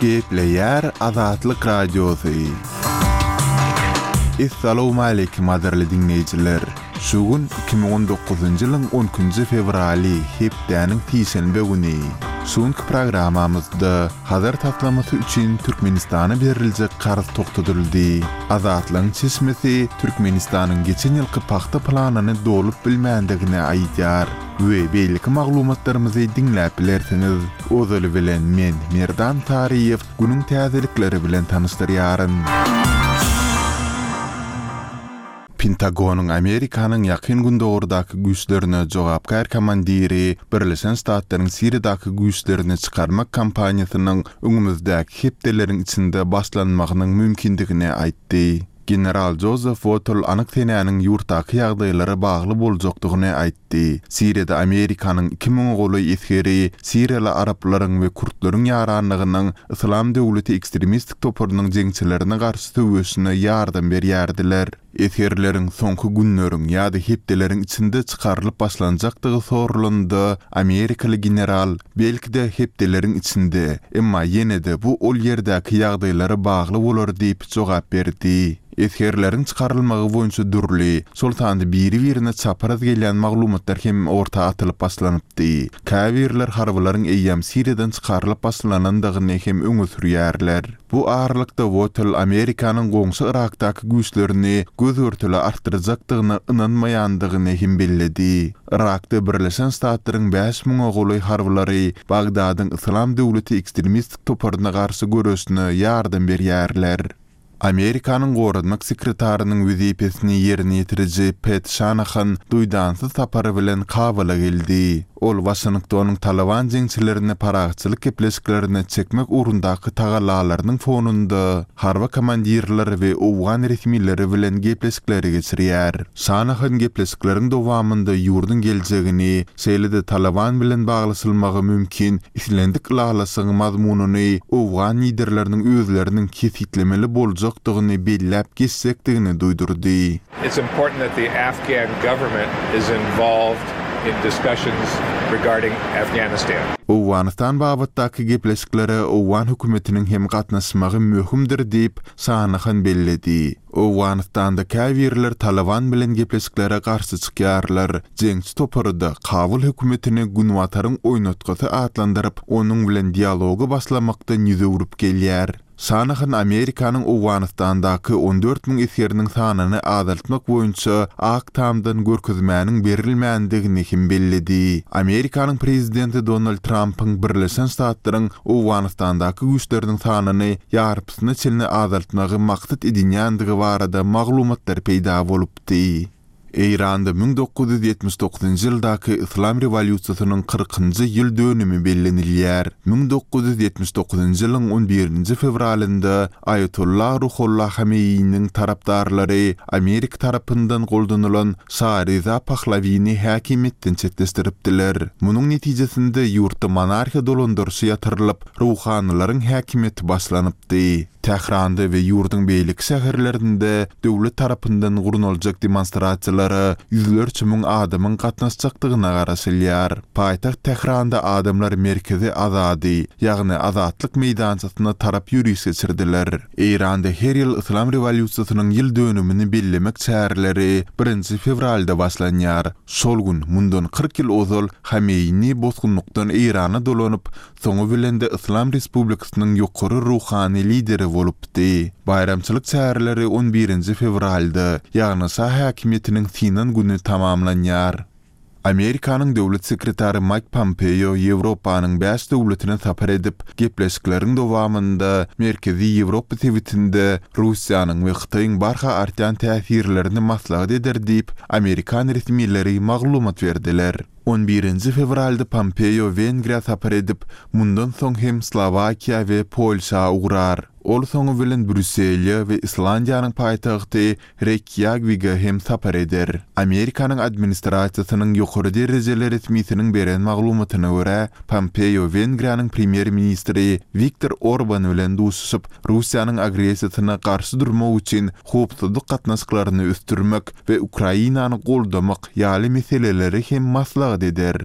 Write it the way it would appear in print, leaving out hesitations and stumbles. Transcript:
Gepleýär Azatlyk Radiosy. Essalawmaleýkim gadyrly diňleýjiler! Şu gün 2019-njy ýylyň on ikinji fewraly, hepdäniň sişenbe güni. Şu günki programmamyzda Hazar taslamasy üçin Türkmenistana beriljek karz togtadyldy. Azatlygyň çeşmesi Türkmenistanyň geçen ýylky pagta planyny dolup bilmändigini aýdýar we beýleki maglumatlarymyzy diňläp bilersiňiz. Ozaly bilen men, Merdan Saryýew, günüň täzelikleri bilen tanyşdyrýaryn. Pentagonyň Amerikanyň Ýakyn Gündogardaky güýçlerine jogapkär komandiri Birleşen Ştatlaryň Siriýadaky güýçlerini çykarmak kampaniýasynyň öňümizdäki hepdeleriň içinde başlanmagynyň mümkindigini aýtdy. General Jozef Wotl anyk senäniň ýurtdaky ýagdaýlara bagly boljakdygyny aýtdy. Siriýada Amerikanyň iki müňe golaý esgeri siriýaly araplaryň we kürtleriň ýaranlygynyň Yslam döwleti ekstremistik toparynyň jeňçilerine garşy söweşine ýardam berýärdiler. Esgerleriň soňky günleriň ýa-da hepdeleriň içinde çykarylyp başlanjakdygy soralanda, amerikaly general, Belki-de, hepdeleriň içinde, emma ýene-de bu ol ýerdäki ýagdaýlara bagly bolar diýip jogap berdi. Esgerleriň çykarylmagy boýunça dürli, şol sanda biri-birine çapraz gelýän maglumatlar hem orta atylyp başlanypdy. Käbirler harbylaryň eýýäm Siriýadan çykarylyp başlanandygyny hem öňe sürýärler. Bu aralykda Wotel Amerikanyň goňşy Yrakdaky güýçlerini göz-görtele artdyrjakdygyna ynanmaýandygyny hem belledi. Yrakda Birleşen Ştatlaryň bäş müňe golaý harbylary Bagdadyň Yslam döwleti ekstremistik toparyna garşy göreşine ýardam berýärler. Amerikanyň goranmak sekretarynyň wezipesini ýerine ýetiriji Pet Şanahan duýdansyz sapary bilen Kabula geldi. Ol Waşingtonyň Talyban jeňçilerini parahatçylyk gepleşiklerine çekmek ugrundaky tagallalarynyň fonunda harby komandirler we owgan resmileri bilen gepleşikleri geçirýär. Şanahan gepleşikleriň dowamynda ýurduň geljegini, şeýle-de Talyban bilen baglaşylmagy mümkin islendik ylalaşygyň mazmunyny owgan liderleriniň özleriniň kesgitlemeli boljakdygyny belläp geçjekdigini duýdurdy. It's important that the Afghan government is involved in discussions regarding Afghanistan. Owganystan babatdaky gepleşiklere owgan hökümetiniň hem gatnaşmagy möhümdir diýip, Şanahan belledi. Owganystanda käbirler Talyban bilen gepleşiklere garşy çykýarlar. Jeňçi topary-da Kabul hökümetini Günbataryň oýnatgysy atlandyryp, onuň bilen dialogy başlamakdan ýüz öwrüp gelýär. Şanahan Amerikanyň Owganystandaky 14 müň esgeriniň sanyny azaltmak boýunça Ak Tamdan görkezmäniň berilmändigini hem belledi. Amerikanyň prezidenti Donald Trampyň Birleşen Ştatlaryň Owganystandaky güýçleriniň sanyny ýarpysyna çenli azaltmagy maksat edinýändigi barada maglumatlar peýda bolupdy. Eýranda 1979-njy ýyldaky Yslam rewolýusiýasynyň kyrkynjy ýyl dönümi bellenilýär. 1979-njy ýylyň on birinji fewralynda Aýatolla Ruhollah Hameýiniň tarapdarlary Amerika tarapyndan goldanylan Şa Reza Pahlawini häkimiýetden çetleşdiripdiler. Munuň netijesinde ýurtda monarhiýa dolandyryşy ýatyrylyp, ruhanylaryň häkimiýeti başlanypdy. Tähranda we ýurduň beýleki şäherlerinde döwlet tarapyndan gurnaljak demonstrasiýalara ýüzlerçe müň adamyň gatnaşjakdygyna garaşylýar. Paýtagt Tähranda adamlar merkezi Azadi, ýagny Azatlyk meýdançasyna tarap ýöriş geçirdiler. Eýranda her ýyl Yslam rewolýusiýasynyň ýyl dönümini bellemek çäreleri birinji fewralda başlanýar. Şol gün, mundan 40 ýyl ozal Hameýni bosgunlykdan Eýrana dolanyp, soňy bilen-de Yslam Respublikasynyň ýokary ruhany lideri bolupdy. Baýramçylyk çäreleri on birinji fewralda, ýagny şa häkimiýetiniň synan güni tamamlanýar. Amerikanyň döwlet sekretary Maýk Pompeo Ýewropanyň bäş döwletine sapar edip, gepleşikleriň dowamynda Merkezi Ýewropa sebitinde Russiýanyň we Hytaýyň barha artýan täsirlerini maslahat eder diýip, amerikan resmileri maglumat berdiler. On birinji fewralda Pompeo Wengriýa sapar edip, mundan soň hem Slowakiýa we Polşa ugrar. Ol soňy bilen Brýussele we Islandiýanyň paýtagty Reýkýawige hem sapar eder. Amerikanyň administrasiýasynyň ýokary derejeli resmisiniň beren maglumatyna görä, Pompeo Wengriýanyň premýer-ministri Wiktor Orban bilen duşuşyp, Russiýanyň agressiýasyna garşy durmak üçin howpsuzlyk gatnaşyklaryny ösdürmek we Ukrainany goldamak ýaly meseleleri hem maslahat eder.